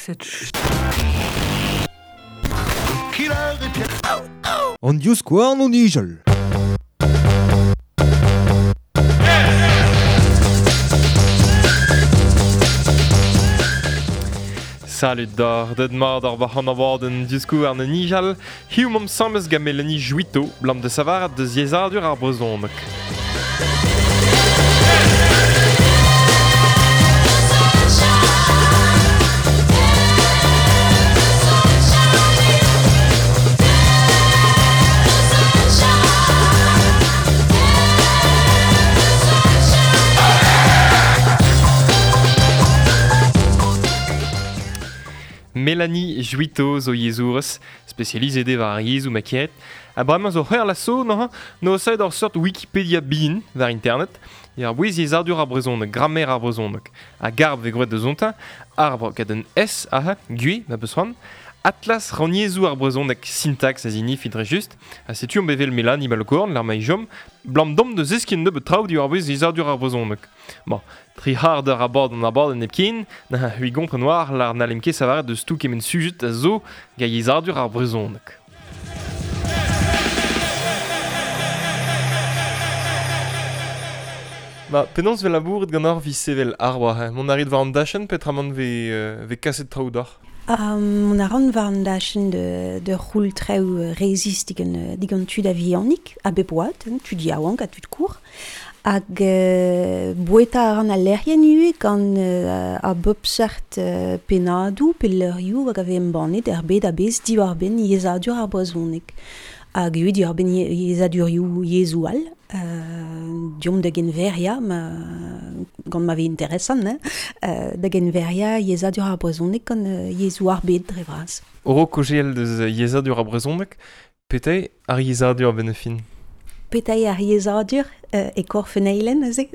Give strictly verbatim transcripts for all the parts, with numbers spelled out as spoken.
Cette An divskouarn o nijal. Salut d'ar, deud mat ar war an abadenn divskouarn o nijal, hiziv omp asambles gant Mélanie Jouitteau, blam de savarat deus yezhadur ar brezhoneg. Mélanie Jouitteau zo yezhourez, spesializet eo war ar yezhoù ma keret. Ha bremañ zo c'hwec'h la so neuze, no saet ur seurt Wikipedia bihan war internet, e ar bouez yezhadur ar brezhoneg, grammaire ar brezhoneg. Ha garb vez gwraet deus ontañ, arbre gant un S aze, gwez, ma peus c'hoant. Atlas rannyezhoù ar brezhoneg syntax a zinif dre just. Ha setu omp evel Mélanie Balkorn, l'ar ma jom, blam dom deus eskin nebeut traoù diwar bouez yezhadur ar brezhoneg. Bon, tri c'hard eur abord an abadenn hepken, na hui gompren war l'ar n'allem ket savaret deus tout kement sujet a zo ga yezhadur ar brezhoneg. Ba, penaos vez labouret gant ar evit sevel ar war, hein? Mont a rit war an dachenn peotramant vez, euh, vez kaset traoù d'oc'h? Um, mont a ran war an dachenn de, de c'houl traoù rezis digant, digant tud a vihanik, a bep oad, hein, tud yaouank ha tud kour. Hag euh, boueta a ran al lec'hienn ivez gant euh, a bep seurt euh, pennadoù pe leurioù hag a vez embannet er bed a-bezh diwar-benn yezhadur ar brezhoneg. Hag ivez diwar-benn yezhadurioù yezhoù all. Euh, diomp da genveria, ma, gant ma vez interesant, hein, euh, da genveria yezhadur ar brezhoneg gant euh, yezhoù ar bed dre vras. Oro kojeel deus yezhadur ar brezhoneg, petra eo ar yezhadur a-benn ar fin? Petra eo ar yezhadur euh, e korf un eilenn aze?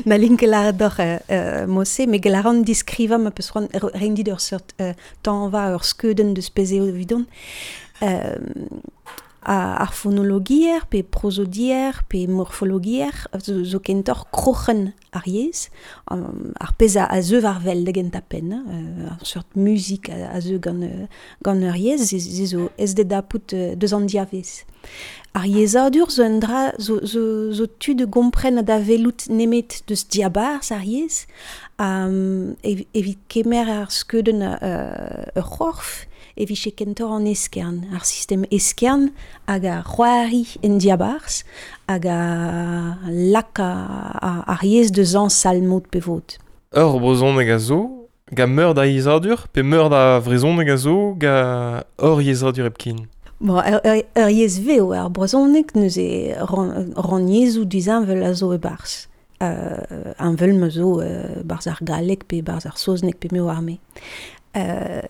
Na lin ket lâret d'oc'h euh, mod-se, met gellet a ran diskrivañ ma peus c'hoant reiñ dit ur seurt euh, tañva ur skeudenn deus pezh eo evidon. Euh, ar fonologier, pe prosodier, pe morfologier, zo, zo kentoc'h kroc'hen ar yezh, um, ar pezh a, a zeu war wel da gentañ penn, hein, ar seurt muzik a, a zeu gant, gant ur yezh, ze, ze zo ez de dapout deus an diavez. Ar yezhadur zo un dra, zo, zo, zo tu de gompren da welout nemet deus diabarzh ar yezh, um, ev, evit kemer ar skeudenn uh, ur c'horf, e vije kentoc'h an eskern, ar sistem eskern hag ar c'hoari en diabarzh hag a lak ar yezh deus añsal mod pe vod. Ur brezhoneg a zo, gant meur da yezhadur, pe meur da vrezhoneg a zo, gant ur yezhadur hepken? Bon, ur, ur, ur yezh vev ar brezhoneg neuze ran, rannyezhoù disheñvel a zo e-barzh. Euh, heñvel ma zo euh, barzh ar galleg pe barzh ar saozneg pe me oar me. Euh,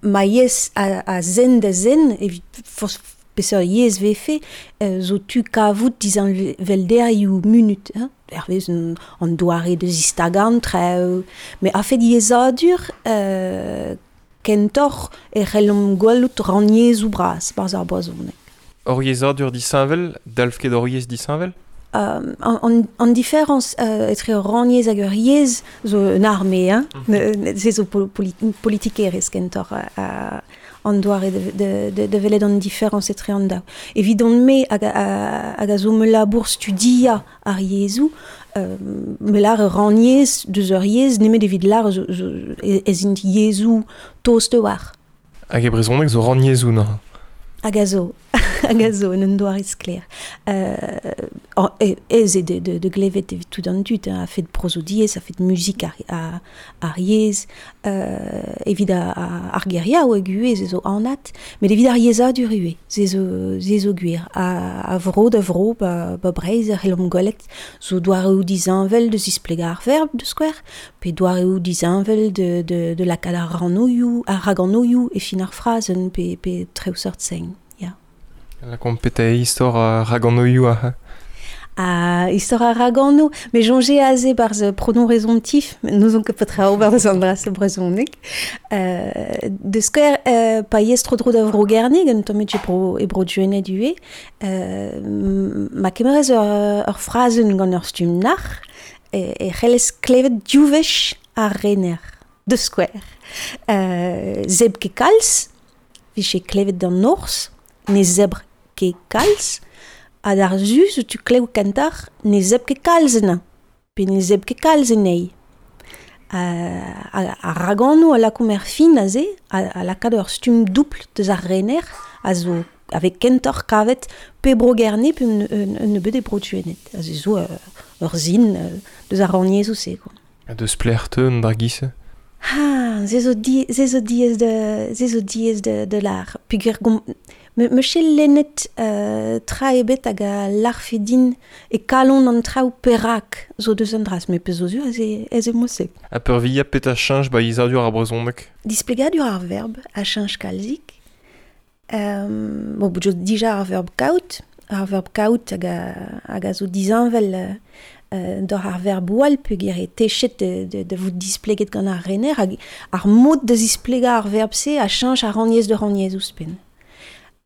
ma yezh a, a zen da zen, evit forzh peseurt yezh vefe, euh, zo tu kavout disheñvelderioù munut, hein, hervez an, an doare da zistagañ traoù. Met a-fet yezhadur, euh, kentoc'h e c'hellomp gwelout rannyezhoù bras barzh ar brezhoneg. Ur yezhadur disheñvel, dalv ket ur yezh disheñvel? Euh, an, an, an diferañs euh, etre ur rannyezh hag ur yezh zo un arme, hein? Mm-hmm. Se zo poli- politikerezh kentoc'h uh, an doare de, de, de, de welet an diferañs etre an daou. Evidon-me hag a, hag a zo me labour studiañ ar yezhoù, euh, me lâr ur rannyezh deus ur yezh nemet evit lâr zo, zo, ez int yezhoù tost war. Hag e brezhoneg zo rannyezhoù neuze? Hag a zo, hag a zo, en un doare sklaer. Euh, ez eo de, de, de glevet evit tout an dud, hein, a-fet prosodiezh, a-fet muzik ar, ar, ar yezh, euh, evit a, a, ar geriaoueg hag ivez, ze zo anat, met evit ar yezhadur ivez, ze zo, ze zo gwir. A, a vro da vro, ba, ba Breizh a c'hellomp gwelet, zo doareoù disheñvel de zisplegañ ar verb de skouer, pe doareoù disheñvel de, de, de lakaat ar ranoioù, ar raganoioù e fin ar frazenn, pe, pe traoù seurt sen. La petra eo istor ar raganoioù aze? Ah, istor ar ragano, me soñje aze barzh pronom résomptif, n'ouzon ket petra ober deus an dra-se brezhoneg. Euh, de skouer, euh, pa yez tro-dro da vro Gerne, gant tommet e bro, e bro Gwened ivez, euh, ma kemerez ur, ur frazenn gant ur stumm nac'h, e, e c'hellez klevet div wech ar rener. De square. Euh, zeb ket kalz, vije klevet d'an norz, ne zebr ket kalz, ha d'ar zu zo tu klev kentar ne zeb ket kalz ena, pe ne zeb ket kalz enei. Euh, ar raganoù a lakaomp er fin aze, a, a lakaat ur stumm doubl deus ar rener, a zo avec kentor kavet pe bro gerne pe un, un, un nebeud e bro tuenet. A zo ur, ur zin deus ar rannyezhoù se, quoi. Ha deus plec'h teu an dra giz-se? Ah, se zo di, se zo diaes de, se zo diaes de, de lar. Peogwir gom, me, me ket lennet euh, tra ebet hag a larfe din e kalon an traoù perak zo deus an dras, met pezh zo sur ez e, ez e mod-se. Ha peurvuiañ petra cheñch ba yezhadur ar brezhoneg? Displegadur ar verb a cheñch kalzik. Euh, bon, bout zo dija ar verb kaout, ar verb kaout hag a, hag a zo disheñvel euh, d'or ar verb all peogwir e techet de, de, de vout displeget gant ar rener hag ar mod da zisplegañ ar verb-se a cheñch ar rannyezh de rannyezh ouzhpenn.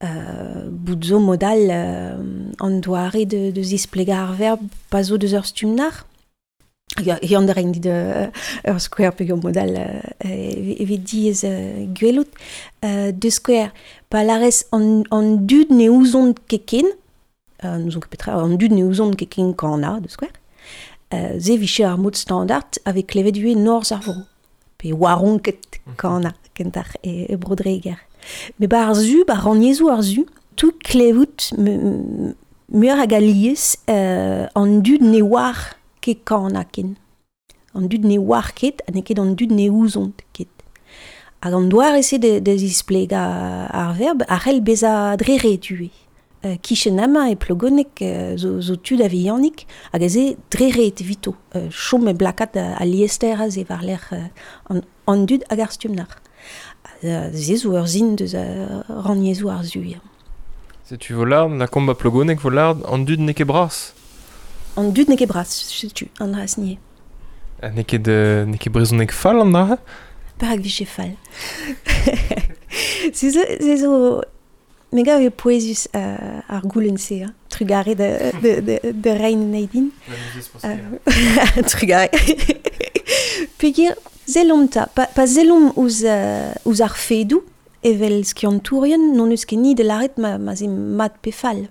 Euh, bout zo mod all euh, an doare de, de zisplegañ ar verb pa zo deus ur stumm nac'h. Hag an da rein dit euh, ur skouer peogwir mod all euh, evit diaes euh, gwelout. Euh, de skouer, pa larez an, an dud ne ouzont ket ken, euh, n'ouzon ket petra, an dud ne ouzont ket ken kana, de skouer. Euh, se vije ar mod standard a vez klevet ivez norzh ar vro. Pe oaron ket kana, kentar e, e bro-Dreger. Met ba ar zu, ba rannyezhoù ar zu, tout klevout muioc'h hag alies euh, an dud ne oar ket kana ken. An dud ne oar ket, ha n'eo ket an dud ne ouzont ket. Hag an doare se de, de zisplegañ ar verb a c'hell bezañ dre ret ivez. Euh, kichen amañ e Plogoneg euh, zo, zo tud a vihanik hag aze dre ret evito. Euh, chom e blakat a, a liester aze war-lerc'h euh, an, an dud hag ar stumm nac'h. Euh, se zo ur sin deus euh, rannyezhoù ar zu. Ya. Setu vo lard, lakaomp ba Plogoneg vo lard, an dud n'eo ket bras. An dud n'eo ket bras, setu, an dra nie. Ha n'eo ket, euh, n'eo ket brezhoneg fall an dra? Perak vije fall. Se zo, se zo me gav eo pouezus euh, ar goulenn-se, hein. Trugarez de, de, de, de rein anezhi din. Euh, trugarez. Peogwir, sellomp 'ta, pa, pa sellomp ouzh, euh, ouzh ar fedoù, evel skiantourien, n'hon eus ket ni da lâret ma, ma 'z eo mat pe fall.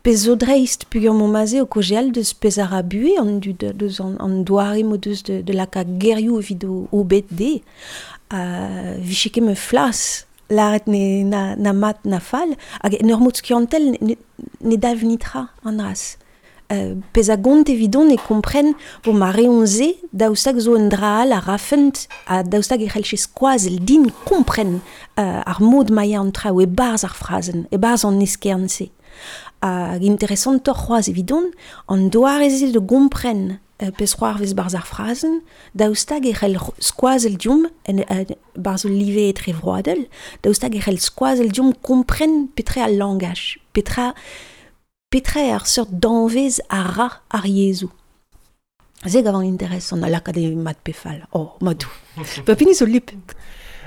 Pezh zo dreist peogwir m'omp aze o kaozeal deus pezh a ra buhez an dud, deus an, an doare m'o deus de, de lakaat gerioù evit o, o bed dezhe. Uh, vije ket ma flas lâret ne, na, na mat na fall, hag en ur mod skiantel ne, ne dalv netra an dras. Euh, pezh a gont evidon e kompren bo ma reont se daoust hag zo un dra all a rafent ha daoust hag e c'hellje skoazell din kompren euh, ar mod ma ya an traoù e-barzh ar frazenn, e-barzh an eskern-se. Hag interesantoc'h c'hoazh evidon, an doare-se de gompren euh, pezh c'hoarvez barzh ar frazenn, daoust hag e c'hell skoazell deomp en, en, barzh ul live etrevroadel, daoust hag e c'hell skoazell deomp kompren petra al langaj, petra petra eo ar seurt danvez a ra ar yezhoù. Se gavan interesant a lakaat e mat pe fall. Oh, madou. Pa pini zo lip.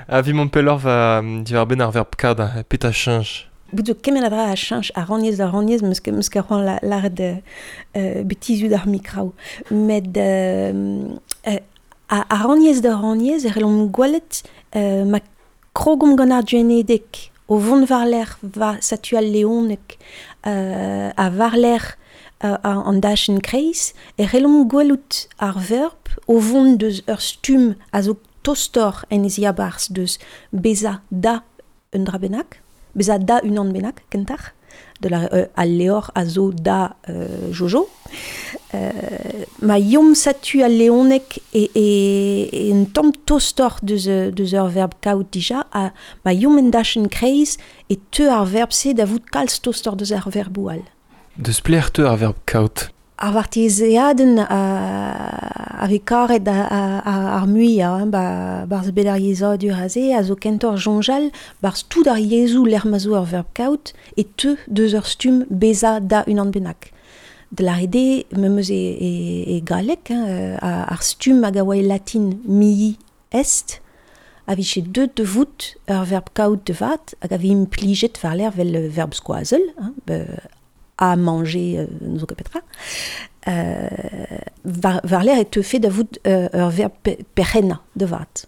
A vi mont pelloc'h va diwar-benn ar verb kad, petra cheñch? Bout zo kement a dra a cheñch a rannyezh da rannyezh, meus ket, meus ket c'hoant la, lâret euh, betizioù d'ar mikraoù. Met euh, euh, a, a rannyezh da rannyezh e c'hellomp gwelet euh, ma krogomp gant ar gwenedeg o vont war-lerc'h va satu al leoneg euh, ha war-lerc'h euh, an dachenn kreiz, e c'hellomp gwelout ar verb o vont deus ur stumm a zo tostoc'h en e ziabarzh deus bezañ da un dra bennak, bezañ da unan bennak, kentoc'h, de la, euh, al levr a zo da euh, Jojo. Euh, ma yom satu al leoneg e, e, e un tamm tostoc'h deus, deus ur verb kaout dija, ha ma yom en dachenn kreiz e teu ar verb-se da vout kalz tostoc'h deus ar verboù all. Deus plec'h teu ar verb kaout? Ar vartezeadenn a, a vez karet a, a, a, ar muiañ, hein, ba, barzh bet ar yezhadur aze, a zo kentoc'h soñjal, barzh tout ar yezhoù lec'h ma zo ur verb kaout, e teu deus ur stumm bezañ da unan bennak. De lâret eo, memes e, e, e galleg, hein, ar stumm hag a oa e latin mihi est, a vije deut da vout ur verb kaout da vat, hag a vez implijet war-lerc'h vel verb skoazell, hein, be, à manger, euh, n'ouzon ket petra. Euh, war, war l'air e teufe da vout euh, ur verb pe, perc'hennañ da vat.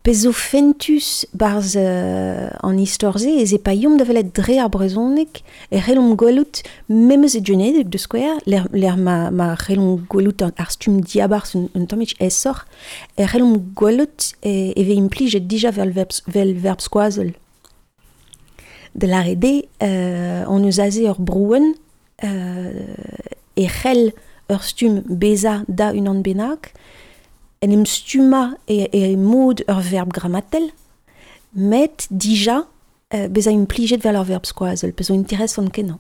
Pezh zo fentus barzh euh, an istor-se ez e pa yomp da welet dre ar brezhoneg e c'hellomp gwelout memes e genedeg de skouer, l'er, l'er ma, ma c'hellomp gwelout ar, ar stumm diabarzh un, un tammig aesoc'h, e c'hellomp gwelout e, e vez implijet dija vel verb, vel verb skoazell. De l'ar ede, euh, on eus aze ur brouenn euh, e c'hell ur stumm bezañ da unan bennak, en em stumma e, e mod ur verb grammatel, met dija euh, bezañ implijet vel ur verb skoazell, pezh zo interesant kenañ.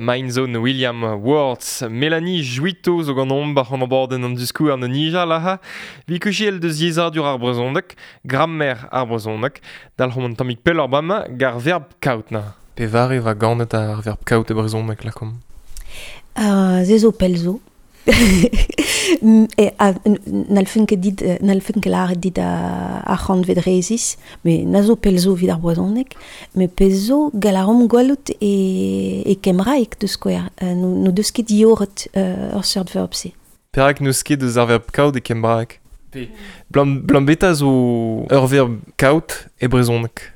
Mindzone William Words, Mélanie Jouitto zo gant omp an borden an diskou an nija laha, vi kuchiel deus yezhadur ar brezhoneg, grammaire ar brezhoneg, dalc'homp an tammig pell ar bama gar verb kaout na. Pevare va ganet ar verb kaout e brezhoneg lakom. Uh, ze zo pell zo. E n'alfen ket dit n'alfen ket lâret dit ar c'hantved rezis, me na zo pell zo evit ar brezhoneg, me pezh zo gall a ran gwelout e e kembraeg deus skouer, no, no deus ket dioret ur seurt verb-se. Perak n'eus ket deus ar verb kaout e kembraeg? Pe blam, blambeta zo ur verb kaout e brezhoneg.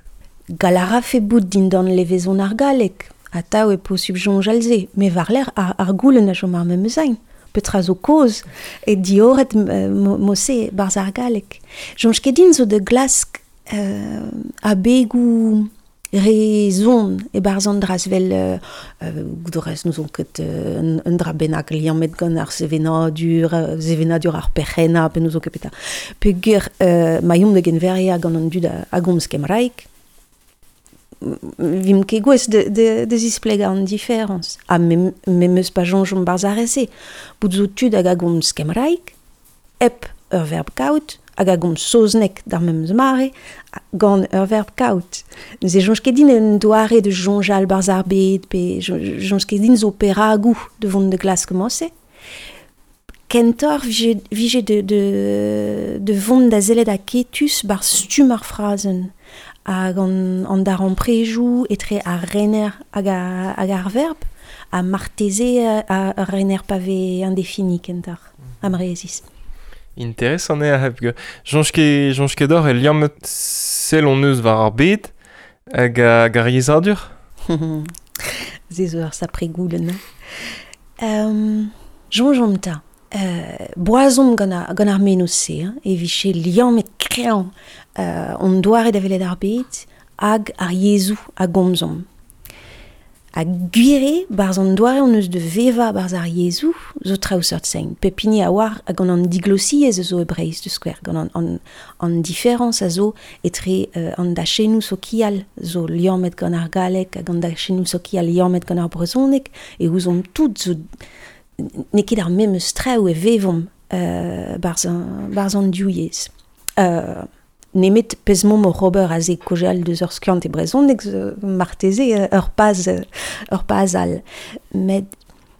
Gall a rafe bout dindan levezon ar galleg, atav e posubl soñjal se, me war-lerc'h ar, ar goulenn a chom ar memes ein. Petra zo kozh e dioret mo-se barzh ar galleg. Soñj ket din zo da glask euh, abegoù re zon e barzh an dra vel euh, goudorez n'ouzon ket euh, un, un dra bennak liammet gant ar sevenadur, sevenadur ar perc'hennañ pe n'ouzon ket petra. Peogwir euh, ma yomp da genveria gant an dud a, a gomz kembraeg, Vim ket gouest de, de, de zisplegañ an diferañs. Ha me, me meus pa soñjomp barzh ar re-se. Bout zo tud hag a gomz kembraeg, hep ur verb kaout, hag a gomz saozneg d'ar memes mare, gant ur verb kaout. Neuze soñj ket din un doare de soñjal barzh ar bed, pe soñj ket din zo peragoù de vont de glask mosse. Kentoc'h vije, vije de, de, de vont da sellet aketus barzh stumm ar frazenn. Hag an, an darempredoù etre ar rener hag, a, hag ar verb, ha marteze ar rener pa vez indéfini kentoc'h, amrezis. Interesant eo hep soñj ket, soñj ket doc'h e liammet sell hon eus war ar bed hag hag ar yezhadur? Se zo ur sapre goulenn. Um, soñjomp 'ta. Euh, boazomp gant ar, gant ar menoz-se, hein, e vije liammet kreñv euh, hon doare da welet ar bed hag ar yezhoù a gomzomp. Ha gwir eo, barzh an doare hon eus de vevañ barzh ar yezhoù zo traoù seurt sein. Pep hini a oar gant an diglosiezh zo e Breizh, da skouer, gant an, an, an diferañs a zo etre euh, an dachennoù sokial zo liammet gant ar galleg hag an dachennoù sokial liammet gant ar brezhoneg, e ouzomp tout zo n'eo ket ar memes traoù e vevomp euh, barzh an, barzh an div yezh. Euh, nemet pezh momp oc'h ober aze kaozeal deus ur skiant e brezhoneg marteze ur paz, ur paz all. Met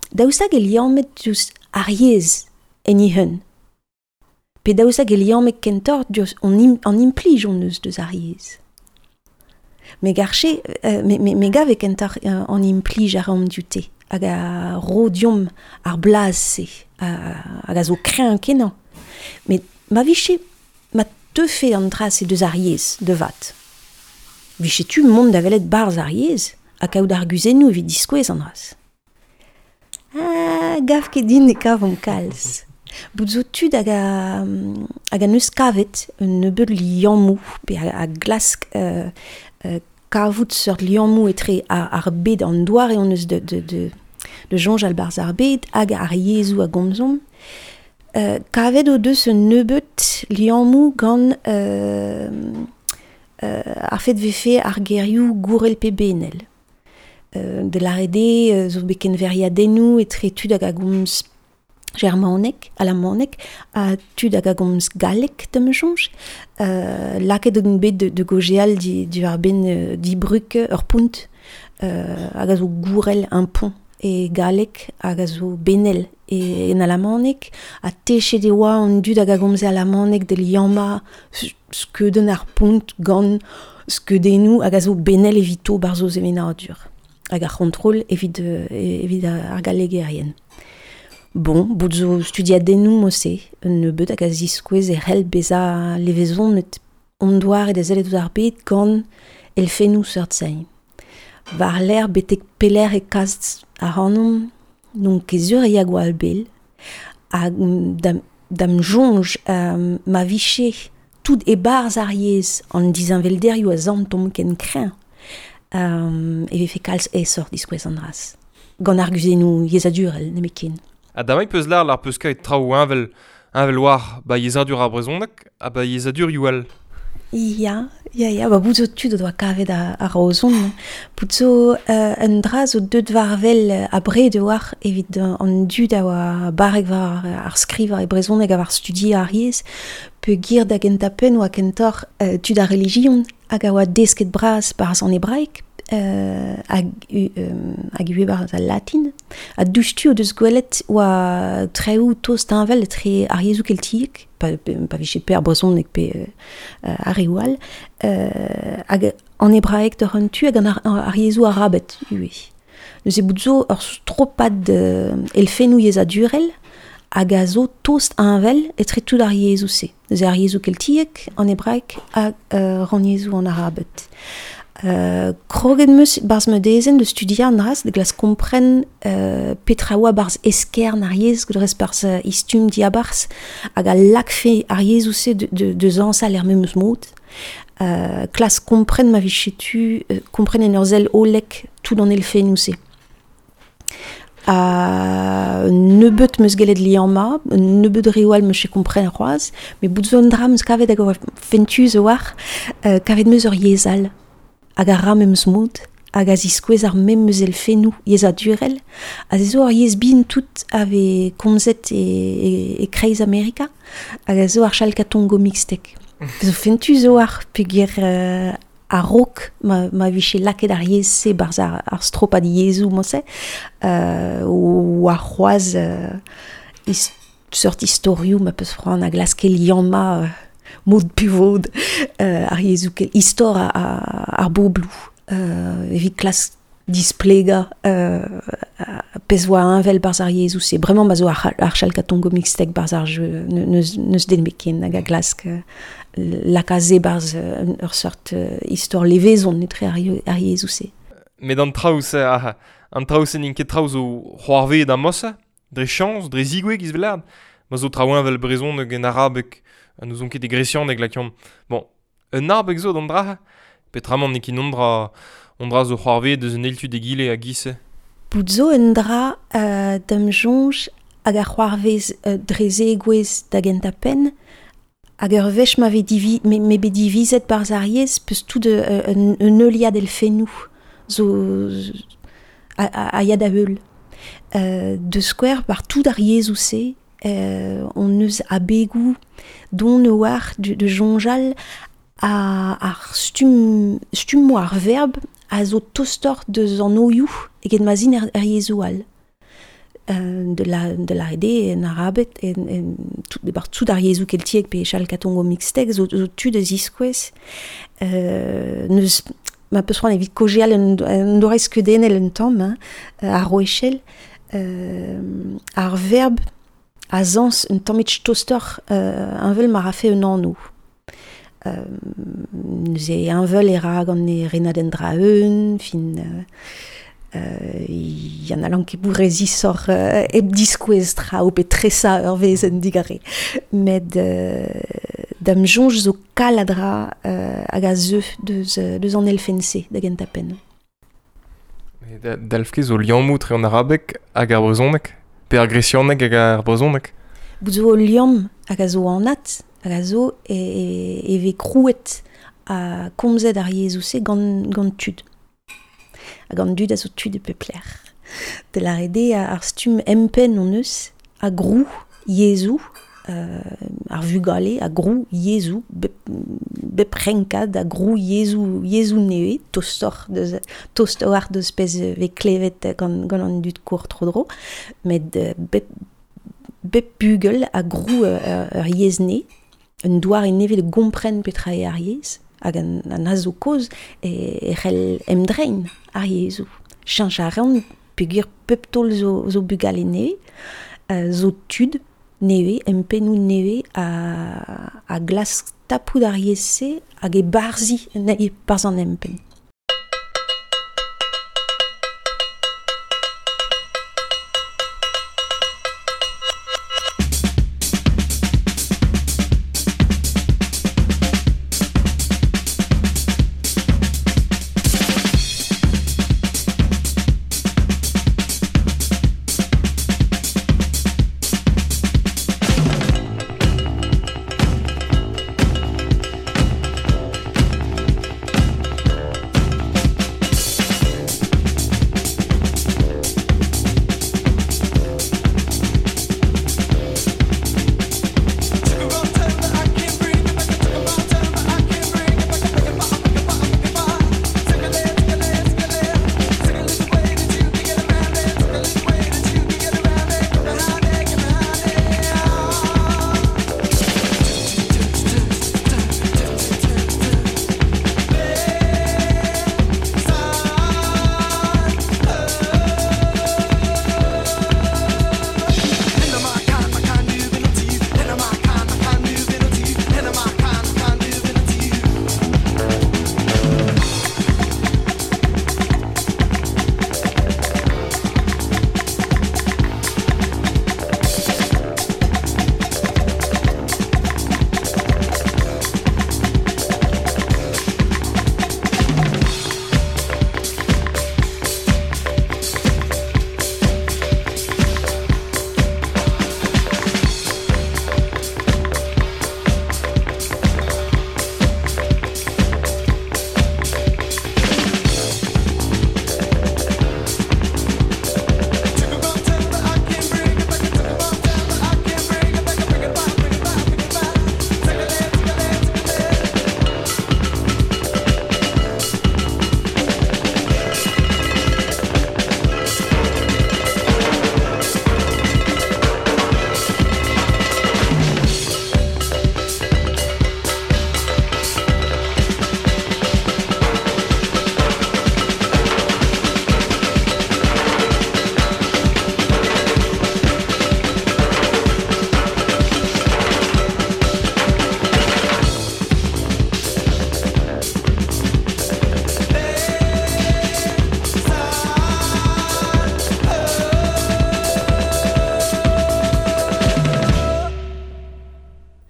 daoust hag e liammet diouzh ar yezh en he hun. Pe daoust hag e liammet kentoc'h diouzh an, im, an implij hon eus deus ar yezh. Me garche, euh, me, me, me gav e kentoc'h euh, an implij a raomp dioute. Hag a ro deomp ar blaz-se, hag a zo kreñv kenañ. Met ma vije, ma teufe an dra-se deus ar yezh, de vat. Vije tu mont da welet barzh ar yezh, ha kaout ar guzennoù evit diskouez an dra-se. Ah, gav ket din e kavomp kalz. Bout zo tud hag a, hag a neus kavet un nebeud liammoù, pe a, a glask euh, euh, kavout seurt liammoù etre ar, ar bed an doare hon eus de, de, de, de soñjal barzh ar bed hag ar yezhoù a gomzomp. Euh, kavet o deus un nebeud liammoù gant euh, euh, ar fet vefe ar gerioù gourel pe benel. Euh, de lâret eo zo bet kenveriadennoù etre tud hag a gomz germaneg, alamaneg, ha tud hag a gomz galleg da ma soñj. Euh, lakaet on bet de, de gaozeal di, di ar ben euh, di bruk ur pont, euh, hag a zo gourel un pont e galleg hag a zo benel e en alamaneg, ha techet e oa an dud hag a gomze alamaneg de liammañ skeudenn ar pont gant skeudennoù hag a zo benel evito barzh o sevenadur, hag ar c'hontrol evit, evit ar gallegerien. Bon, bout zo studiadennoù mo-se, un nebeud hag a ziskouez e c'hell bezañ levezonet hon doare da sellet ouzh ar bed gant elfennoù seurt sein. War-lerc'h betek pelec'h e kas ac'hanomp, n'on ket sur e ya gwall bell, hag da'm, da'm soñj euh, ma vije tout e-barzh ar yezh an disheñvelderioù a santomp ken kreñv, euh, e vefe kalz aesoc'h diskouez an dra-se. Gant ar guzennoù yezhadurel nemetken. Ha damai peus lâr lar peus kaet traoù heñvel, heñvel war ba yezhadur ar brezhoneg ha ba yezhadurioù all. Ya, ya, ya, ba bout zo tud o doa kavet ar, ar raozon. Bout zo euh, un dra zo deut war wel abred war evit an dud a oa barrek war ar skrivañ e brezhoneg ha war studi ar yezh, peogwir da gentañ penn oa kentoc'h euh, tud ar relijion hag a oa desket bras barzh an hebraeg, euh, hag, euh, hag ivez barzh al latin. Ha diouzhtu o deus gwelet oa traoù tost heñvel etre ar yezhoù keltiek, pa, pa vije pe ar brezhoneg pe euh, ar reoù all, euh, hag an hebraeg doc'h an tu hag an ar, ar yezhoù arabet ivez. Neuze bout zo ur stropad euh, elfennoù yezhadurel hag a zo tost heñvel etre tout ar yezhoù-se. Neuze ar yezhoù keltiek, an hebraeg hag euh, rannyezhoù an arabet. Euh, kroget 'm eus barzh ma dezenn de studiañ an dra-se, de glask kompren euh, petra oa barzh eskern ar yezh, dres barzh uh, istum diabarzh, hag a lakfe ar yezhoù-se de, de, de zañsal er memes mod. Euh, klask kompren ma vije tu, euh, kompren en ur sell hollek tout an elfennoù-se. Ha nebeut 'm eus gellet liammañ, nebeut reoù all 'm eus ket kompren c'hoazh, met bout zo un dra 'm eus kavet hag a oa fentus a-walc'h, euh, kavet 'm eus ur yezh all. hag a ra memes mod, hag a ziskouez ar memes elfennoù yezhadurel, ha se zo ar yezh bihan tout a vez komzet e, e, e kreiz Amerika, hag a zo ar chalkatongo mixtek. Zo fentu zo ar peogwir euh, a-raok ma, ma vije lakaet ar yezh-se barzh ar, ar stropad yezhoù mosse, euh, o ar c'hoazh euh, is, seurt istorioù ma peus c'hoant a glaske liammañ euh, mod pe vod euh, ar yezhoù kel istor a, a, ar bobloù euh, evit klask displegañ euh, pezh oa heñvel barzh ar yezhoù-se. Bremañ ma zo ar, ar chalkatongo mixtek barzh ar jeu neus, neus den ebet ken hag a glask euh, laka se barzh ur seurt euh, istor levezon etre ar, ar yezhoù-se. Met an traoù-se, ah, an traoù-se n'int ket traoù zo c'hoarvezet a-mosse, dre chañs, dre zigouez giz velard. Ma zo traoù heñvel brezhoneg en arabeg, ha n'ouzon ket e gresianeg lakaomp. Bon, un abeg zo d'an dra, petramant n'eo ket on dra, on dra zo c'hoarvezet deus un eil tu d'egile a giz-se. Bout zo un dra euh, da'm soñj hag a c'hoarvez euh, dre zegouezh da gentañ penn, hag ur wech ma vez divi, me, me bet divizet barzh ar yezh peus tout euh, un, un heuliad elfennoù zo, a, a, a ya da heul. Euh, de skouer par tout ar yezhoù-se, euh, on eus abegoù don oar de, de soñjal a, ar stumm, stummoù ar verb a zo tostoc'h deus an oioù eget ma zin er, er yezhoù all. Euh, de la de la ede en arabed en, en tout, bar tout ar yezhoù keltiek pe chalkatongo mixtek zo, zo tu da ziskouez euh, neus ma peus c'hoant evit kaozeal un, un doare skeudennel un tamm hein, ar roechel euh, ar verb a zañs un tammig tostoc'h euh, heñvel ma rafe un anv. Euh, neuze heñvel e ra gant e renadenn dra-eeun, fin euh, euh, yann a lan ket bout rezisoc'h euh, hep diskouez traoù pe tresañ ur wezenn digare. Met euh, da'm soñj zo kal a dra euh, hag a zeu deus, deus an elfenn-se da gentañ penn. Da, dalv ket zo liammoù tre an arabeg hag ar brezhoneg, pe ar gresianeg hag ar brezhoneg. Bout zo ul liamm hag a zo anat, hag a zo e, e, e vez krouet ha komzet ar yezhoù-se gant, gant tud. Hag an dud a zo tud e pep lec'h. Da lâret eo ar stumm empenn hon eus a grou yezhoù, euh, ar vugale a grou yezhoù, bep, bep renkad a grou yezhoù, yezhoù nevez, tostoc'h deus, tostoc'h deus pezh vez klevet gant, gant an dud kour tro-dro, met bep, bep bugel a grou ur, ur yezh nevez, un doare nevez de gompren petra eo ar yezh, hag an, an a zo kozh e, e c'hell emdrein ar yezhoù. Cheñch a reont peogwir pep taol zo, zo bugale nevez, euh, zo tud nevez, empennoù nevez a, a glask tapout ar yezh-se hag e barzhiñ anezhi barzh an empenn.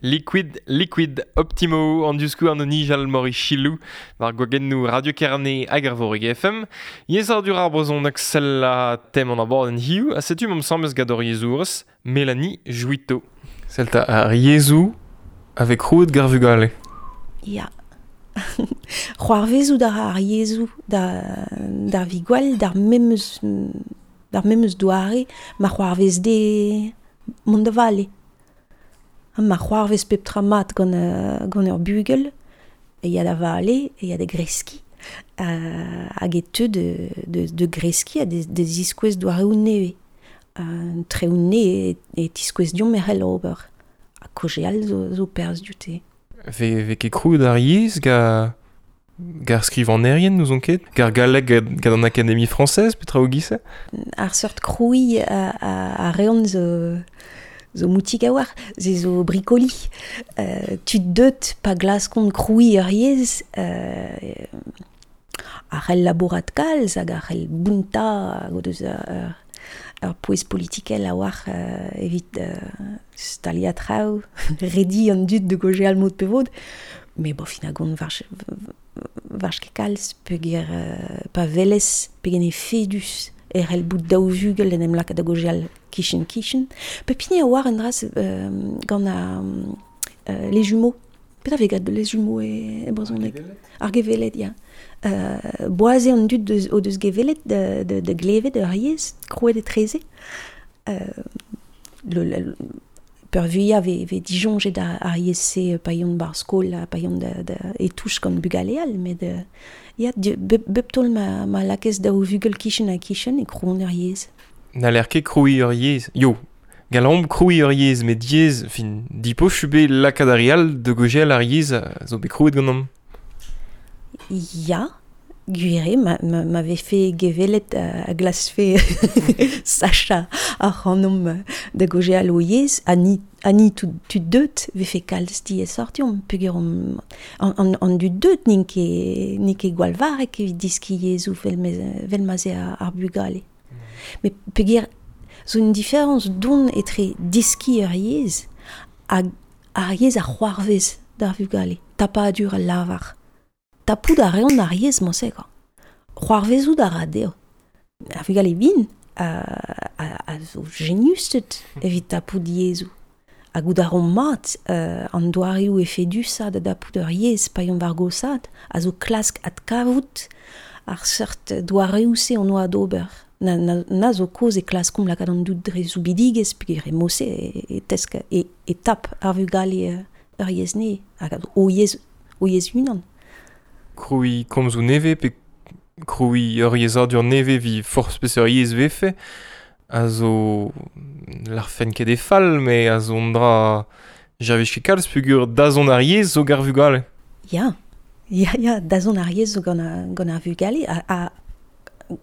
Liquid, Liquid, Optimo, an duskou an nijal mori chilou, war gwagennou Radio Kerne hag ar vorig F M. Yezhadur ar brezhoneg sell a tem an abord en hiu, a setu mom samez gant hor yezhourez, Mélanie Jouitteau. Sell ta ar yezhoù avec roud gar vugale. Ya. C'hoarvezout ar ar yezhoù da, d'ar vigwal, d'ar memeus, d'ar memeus doare, ma c'hoarvez de mont da vale. Ha ma c'hoarvez pep tra mat gant, uh, gant ur bugel, e ya da vale, e ya da greski. Uh, hag e teu de, de, de greski ha de, de ziskouez doareoù nevez. Uh, treoù nevez e, e tiskouez diomp merc'hel ober. Ha kojeal zo, zo perzh dioute. Ve, ve ket krouet ar yezh ga, gar skrivanerien n'ouzon ket? Gar galleg gant an Académie française, petra o gise? Ar seurt krouiñ a, a, a reont zo... zo moutik a war, ze zo brikoli. Euh, tud deut pa glaskont krouiñ ur yezh, euh, ar c'hell labourat kalz hag ar c'hell bounta hag o deus ur, ur pouez politikel a war euh, evit euh, staliañ traoù, redi an dud de gojeal mod pe vod. Mais bo fin a gont war, war ket kalz, peogwir euh, pa velez, pegen efedus e c'hell bout daou vugel en em lakaat da gojeal kichen kichen. Pep hini a oar un dra euh, gant a, euh, les jumeaux. Petra vez graet les jumeaux e, e brezhoneg? Ar geveled, ya. Euh, boaze an dud deus, o deus geveled de, de, de glevet ur yezh, krouet etreze. Euh, le, le, peurvuiañ ve, ve disoñjet ar, ar yezh-se pa yont bar skol, pa yont da, da, e touch gant bugale all, met de, ya, bep, bep taol ma, ma lakez daou vugel kichen ha kichen e krouont ur yezh. N'haller ket krouiñ ur yezh. Yo, gallomp krouiñ ur yezh, met diaes, fin, dipoch bet lakaat ar re all de gojel ar yezh zo bet krouet ganeomp. Ya, gwir eo, ma, ma, ma vefe gevelet a glasfe sacha ar c'hanomp da gojeal o yezh, ha ni, ha ni tud, tud deut vefe kalz diaesoc'h deomp, peogwir omp an, an, an dud deut n'int ket, n'int ket gwall varrek evit deskiñ yezhoù vel mez, vel ma'z eo ar, ar bugale. Mais peogwir zo un différence don etre deskiñ ur yezh hag ar yezh a c'hoarvez d'ar vugale. Tapadur al lavar. Tapout a reont ar yezh mañ-se, quoi. C'hoarvezout a ra dezho. Ar vugale vin a, a, a zo geniusted evit tapout yezhoù. Hag goût a reont mat euh, an doareoù efedusañ da dapout ur yezh pa yont war gosaat, a zo klask adkavout ar seurt doareoù-se on oa d'ober. Na, na, na zo koz e klaskomp lakaat an dud dre zoubidigezh, peogwir e mose e, e tesk e, e tap ar vugale ur yezh ne, hag o yezh, o yezh unan. Krouiñ komzoù nevez pe krouiñ ur yezhadur nevez vi forzh peseurt yezh vefe, a zo l'arfen ket e fall, met a zo an dra javich ket kalz peogwir dazont ar yezh zo gar vugale. Ya, ya, ya, dazont ar yezh zo gant ar, gant ar vugale, a, a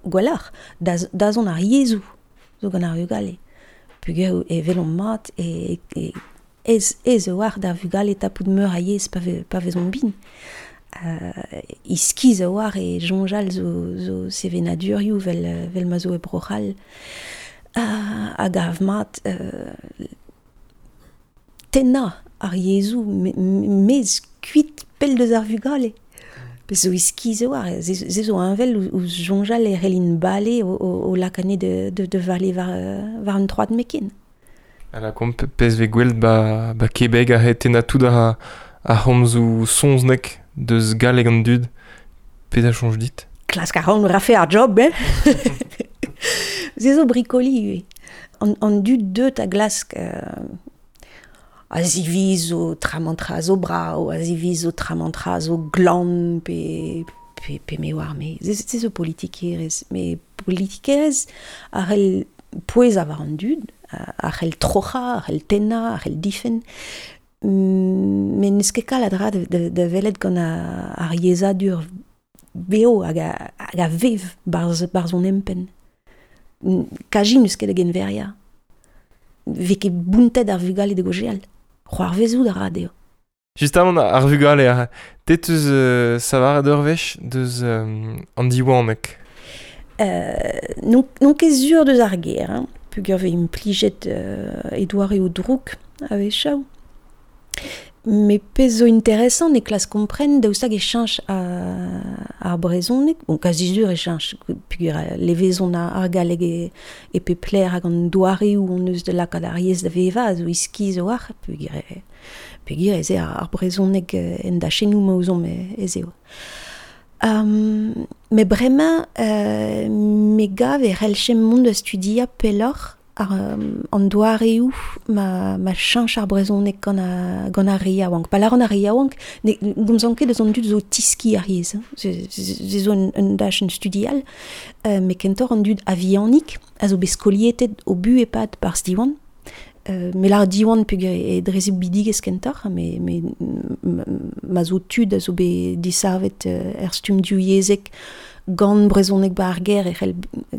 gwelloc'h, daz, dazont ar yezhoù zo gant ar vugale. Peogwir e welomp mat e, e, ez, ez e oar d'ar vugale tapout meur a yezh pa, ve, pa vezont bin. Uh, iskiz a oar e soñjal zo, zo sevenadurioù vel, vel ma zo e Bro-C'hall. Uh, hag av mat uh, tennañ ar yezhoù me, mez kuit pell deus ar vugale. Pezh zo iskiz a oar, ze, ze zo heñvel ouzh soñjal e c'hellin bale o, o, o lakane de, de, de vale war, war an troad meken. A la komp pezh vez gwell ba, ba Québec a tennañ tout ar, ar c'homzoù soñznek deus galleg an dud, pezh a soñj dit? Klask a ran rafe ar job, eh? Se zo brikoli ivez. An, an dud deut a glask euh, a zivizo tramantra zo brao, a zivizo tramantra zo glan pe, pe, pe me oar me. Se, se zo politikerezh. Me politikerezh a c'hell pouezañ war an dud, a c'hell troc'hañ, a c'hell tennañ, a c'hell difenn. Met n'eus ket kalz a dra da, da, da welet gant ar yezhadur beo hag a, hag a vev barzh, barzh hon empenn. Kaji n'eus ket da genveriañ. Vez ket bountet ar vugale da gojeal. C'hoarvezout a ra dezho. Justement, ar vugale, ar te teus euh, savaret ur wech deus euh, an diwaneg? Euh, non, non ket sur deus ar ger, hein. Peogwir vez implijet euh, e doareoù drouk a-wechoù. Me pezh zo interesant e klas kompren daoust hag e cheñch ar brezhoneg, bon, kazi sur e cheñch, peogwir levezon ar galleg e, e pep lec'h hag an doareoù hon eus da lakaat ar yezh da vevañ a zo iskis a-walc'h, peogwir peogwir ez eo ar brezhoneg en dachennoù ma ouzomp ez eo. Um, me bremañ, euh, me gav e c'hellchemp mont da studiañ pelloc'h ar, an doareoù ma, ma cheñch ar brezhoneg gant, a, gant ar re yaouank. Pa lâran ar re yaouank, ne gomzan ket eus an dud zo tiski ar yezh. Se, se zo un, un dachenn studial, euh, met kentoc'h an dud a-vihanik a zo bet skolietet o bu e-pad barzh Diwan. Euh, me lâr Diwan peogwir e dre soubidigezh kentoc'h, me, me, ma zo tud a zo bet disavet er stumm divyezhek gant brezhoneg ba ar gêr e c'hell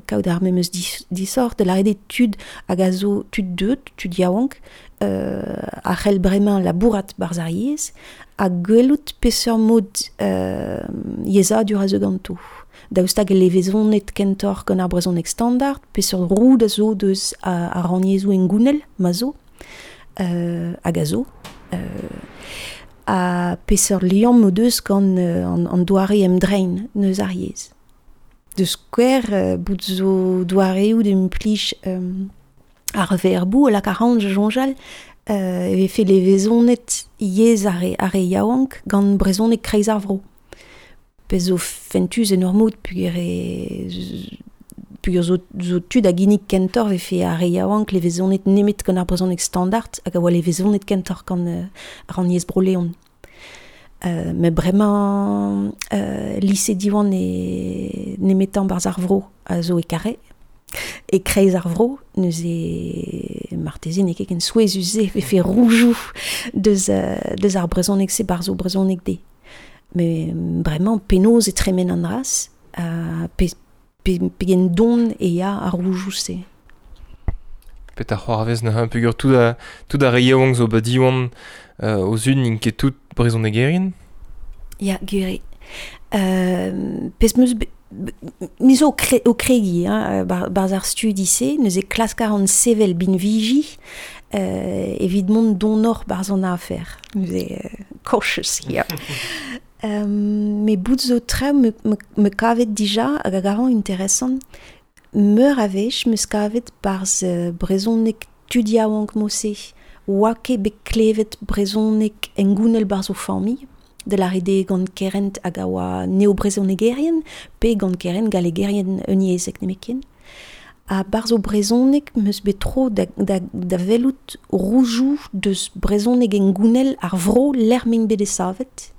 kaout ar memes dis, disoc'h, da lâret eo tud hag a zo tud deuet, tud yaouank, euh, a c'hell bremañ labourat barzh ar yezh, ha gwelout peseurt mod euh, yezhadur a zo ganto. Daoust hag e levezonet kentoc'h gant ar brezhoneg standard, peseurt roud a zo deus ar rannyezhoù hengounel, ma zo, euh, hag a zo, euh, ha peseurt liamm o deus gant euh, an, an doare emdrein neus ar yezh. De skouer, euh, bout zo doareoù d'implij euh, ar verboù a lak ar c'hant soñjal, euh, e vefe levezonet yezh ar re, ar re yaouank gant brezhoneg kreiz ar vro. Pezh zo fentus en ur mod peogwir e peogwir zo, zo tud a ginnig kentoc'h vefe ar re yaouank levezonet nemet gant ar brezhoneg standard hag a oa levezonet kentoc'h gant euh, rannyezh Bro-Leon. Euh, met bremañ euh, lise Diwan e nemetañ barzh ar vro a zo e Carhaix, e kreiz ar vro, neuze marteze n'eo ket ken souezhus se vefe roujoù deus, euh, deus ar brezhoneg se barzh o brezhoneg de. Mais bremañ penaos e tremen an dras, uh, pe, pe, pegen don e ya ar roujoù se. Pet ar c'hoarvez neuze peogwir tout a, tout ar re yaouank zo ba Diwan euh, o zud n'int ket tout brezhonegerien? Ya, gwir eo. Euh, pezh 'm eus be, me zo o, kre, o kregiñ, hein, bar, barzh ar studi-se, neuze klask a ran sevel binviji euh, evit mont donoc'h barzh an afer. Neuze euh, cautious here. Euh, me bout zo traoù me, me, me kavet dija hag a gavan interesant. Meur a wech 'm eus kavet barzh euh, brezhoneg tud yaouank mod-se, oa ket bet klevet brezhoneg hengounel barzh o familh, da lâret eo gant kerent hag a oa neo-brezhonegerien, pe gant kerent gallegerien unyezhek nemetken. Ha barzh o brezhoneg 'm eus bet tro da, da, da welout roujoù deus brezhoneg hengounel ar vro lec'h m'int bet desavet,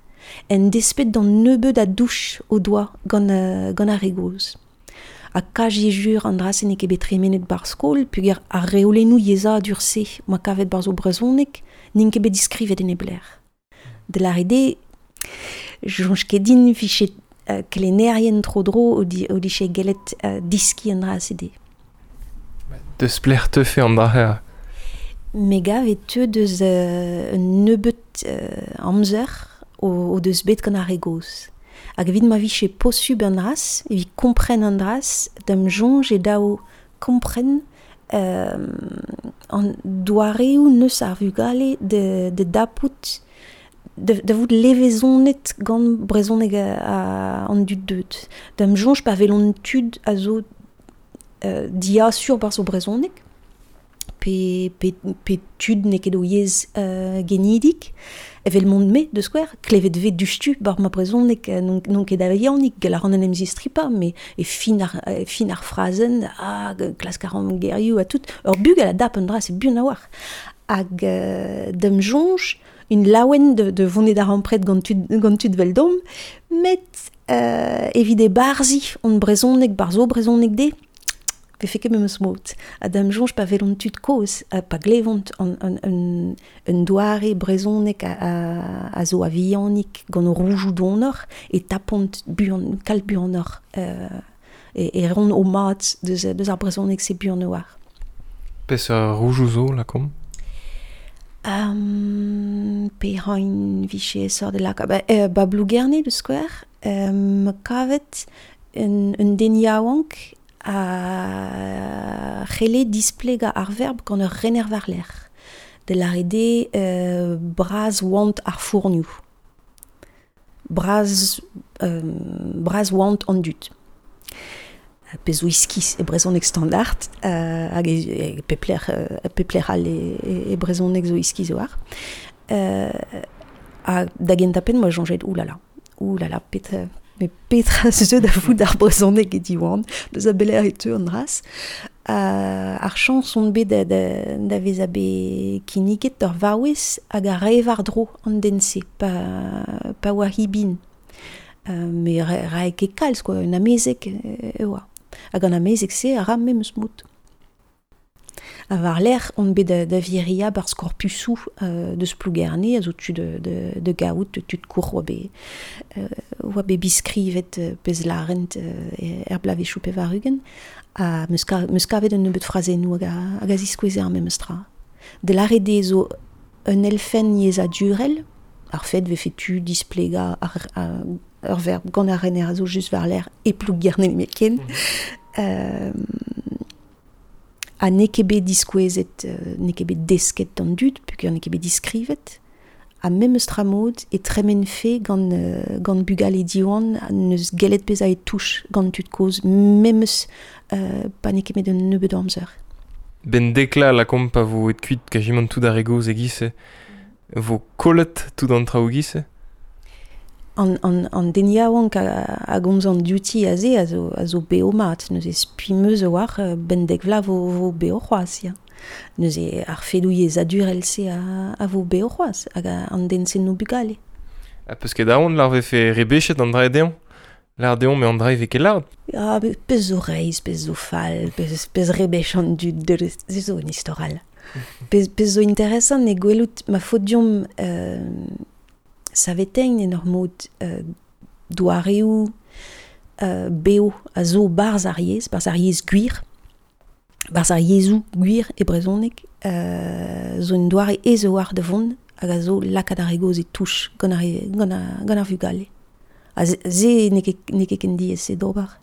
en despet d'an nebeud a douch o doa gant, euh, gant ar re gozh. Ha kaji jur an dra-se n'eo ket bet tremenet barzh skol, peogwir ar reolennoù yezhadur-se ma kavet barzh o brezhoneg n'int ket bet diskrivet en e blec'h. Da lâret eo, soñj ket din vije euh, kelennerien tro-dro o, di, o dije gellet euh, diskiñ an dra-se dezhe. Deus plec'h teufe an dra-se? Me gav e teu deus euh, un nebeud euh, amzer o, o deus bet gant ar re gozh. Hag evit ma vije posubl an dras, evit kompren an dras, da'm soñj eo dav kompren euh, an doareoù neus ar vugale de, de dapout, de, da vout levezonet gant brezhoneg a, a, an dud deut. Da'm soñj pa welont tud a zo euh, diasur barzh o brezhoneg, pe, pe, pe tud n'eo ket o yezh euh, genidik, evel mont-me, de skouer, klevet vez dustu bar ma brezhoneg, non, non ket a-vihanik, gell a ran en em zistripañ, mais e fin ar, e fin ar frazenn, ah, klask a ran gerioù ha tout, ur bugel a dap un dra, c'est buan a-walc'h. Hag euh, da'm soñj, un laouen de, de vonet ar ampred gant tud, gant tud veldom, met euh, evit e barzi on brezhoneg, barzo brezhoneg de, vefe ket memes mod. Ha da'm soñj pa welont tud kozh, pa glevont an, an, un, un doare brezhoneg a, a, a zo a-vihanik gant o roujoù donoc'h, e tapont buan, kalz buanoc'h, euh, e, e ront o mat deus, deus ar brezhoneg se buan a-walc'h. Peseurt roujoù zo, lakaomp? Um, pe hain vije sort de laka. Ba, euh, ba Plougerne, de skouer, euh, ma kavet un, un den yaouank a c'helle displegañ ar verb gant ur rener war-lerc'h. De l'arede euh, braz oant ar fournioù. Braz, euh, braz oant an dud. Pez zo iskis e brezhoneg standard, euh, hag e, e pepler, euh, pepler all e, e, e brezhoneg zo iskis oar. Euh, ha da gentañ-penn moa soñjet, oulala, oulala, petra, me petra zeu da vout ar brezhoneg e Diwan, deus a beler e teu an dras. Uh, ar chañs on bet da, da, da vezañ bet kinniget d'ur vaouez hag a rae war-dro an den-se, pa, pa oa hi bin. Uh, me ra, rae ket kalz, quoi, un amezeg e oa. Hag an amezeg-se a ra memes mod. Ha war-lerc'h on bet da, da viria barzh korpusoù euh, deus Plougerne, a zo tud de, de, de gaout, tud kour oa bet, euh, oa bet biskrivet euh, pezh larent euh, er blavezhioù pevar-ugent, ha meus, ka, meus kavet un nebeud frazennoù hag a, hag a ziskoueze ar memes tra. De l'arede zo un elfenn yezhadurel, ar fet vefe tu displegañ ar, ar, ur verb gant ar rener a zo just war-lerc'h e Plougerne nemetken. Mm -hmm. Euh, ha n'eo ket bet diskouezet, euh, n'eo ket bet desket d'an dud, peogwir n'eo ket bet diskrivet, ha memes tra mod e tremenfe gant, euh, gant bugale Diwan n'eus gellet bezañ e touch gant tud kozh, memes euh, pa n'eo ket met un nebeud amzer. Ben dekla lakaomp pa vo et kuit kajimant tout ar re gozh e-giz-se, vo kollet tout an traoù e-giz-se? An, an, an den yaouank a, a gomz an diouti aze a zo, a zo beo mat. Neuze spi meus a-walc'h ben dek vloaz vo, vo beo c'hoazh, ya. Neuze ar fedoù yezhadurel-se a, a vo beo c'hoazh, hag an den-se no bugale. Ha peus ket aon lar vefe rebechet an dra dezhañ? Lar dezhañ me an dra e vez ket lart? Ya, pezh zo reizh, pezh zo fall, pezh, pezh rebech an dud, se zo un istor all. Pezh, pezh zo interesant e gwelout ma faot deomp euh, savetein en ur mod euh, doareoù euh, beo a zo barzh ar yezh, barzh ar yezh gwir, barzh ar yezhoù gwir e brezhoneg, euh, zo un doare aes a-walc'h da vont hag a zo lakaat ar re gozh e touch gant ar, gant ar, gant ar vugale. Ha se n'eo ket, n'eo ket ken diaes se d'ober.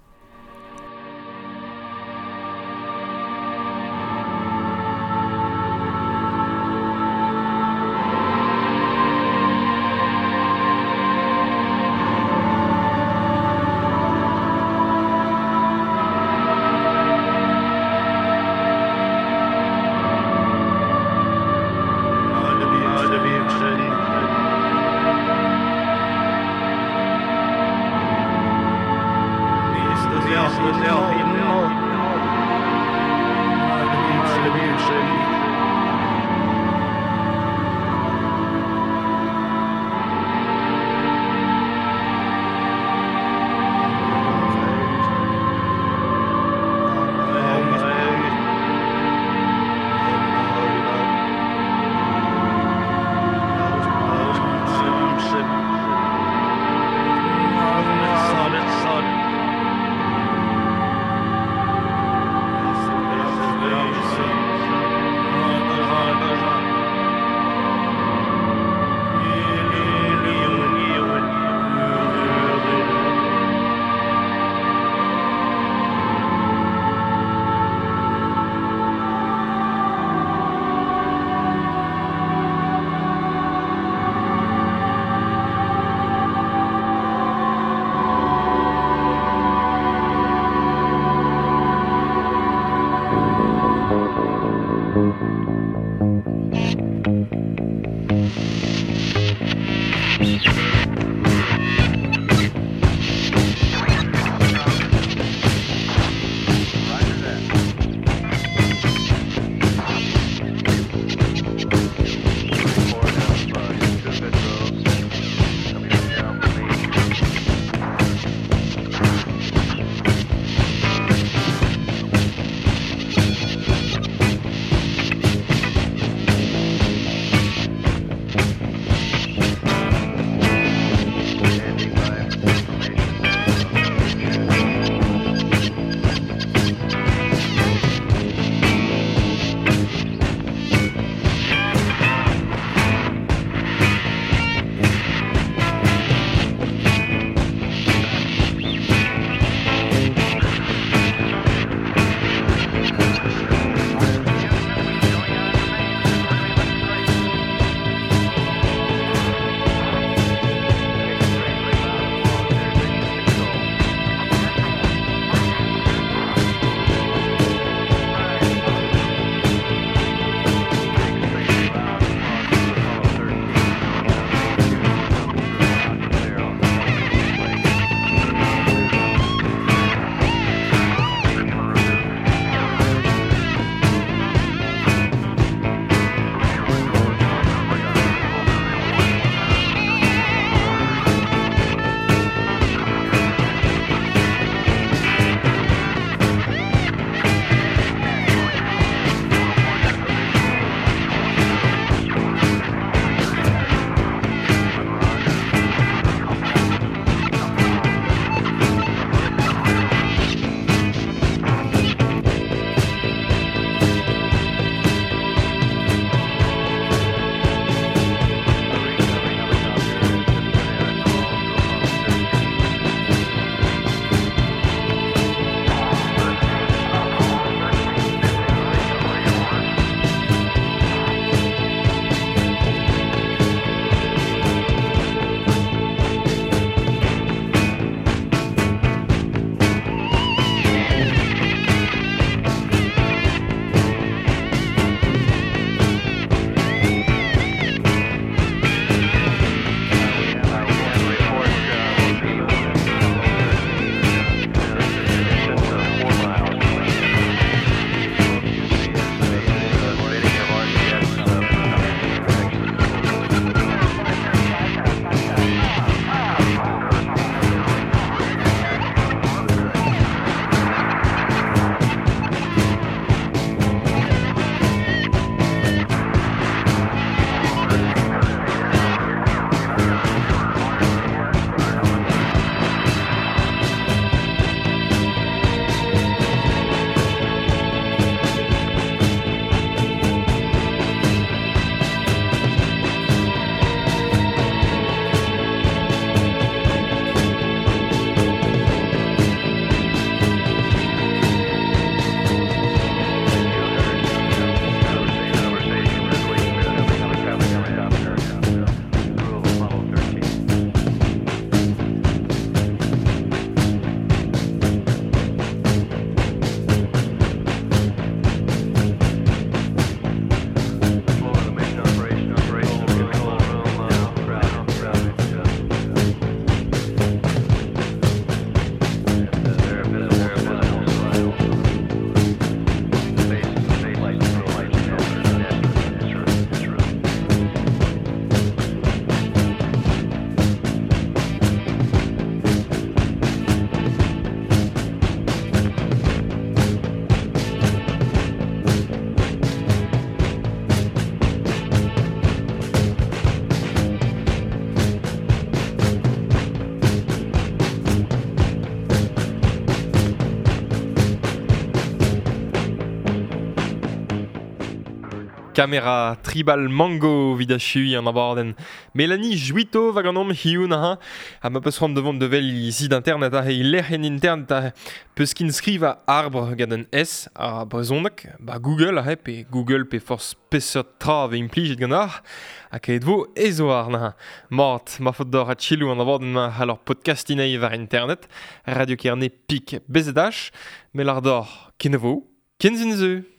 Kamera Tribal Mango vid achui an abadenn. Mélanie Juito va ganeomp hiziv ha ha ma peus c'hoant da vont da wel he sit internet ha he lec'hienn internet ha peus kin skrivañ arbre gant un S a brezhoneg ba Google ha pe Google pe forzh peseurt tra vez implijet ganeoc'h ha kaet vo ez war na. Mat, ma faot deoc'h adselaou an abadenn ma c'hallor podcastinei war internet Radio Kerne pik B Z H me lar deoc'h kenavo ken sin zu.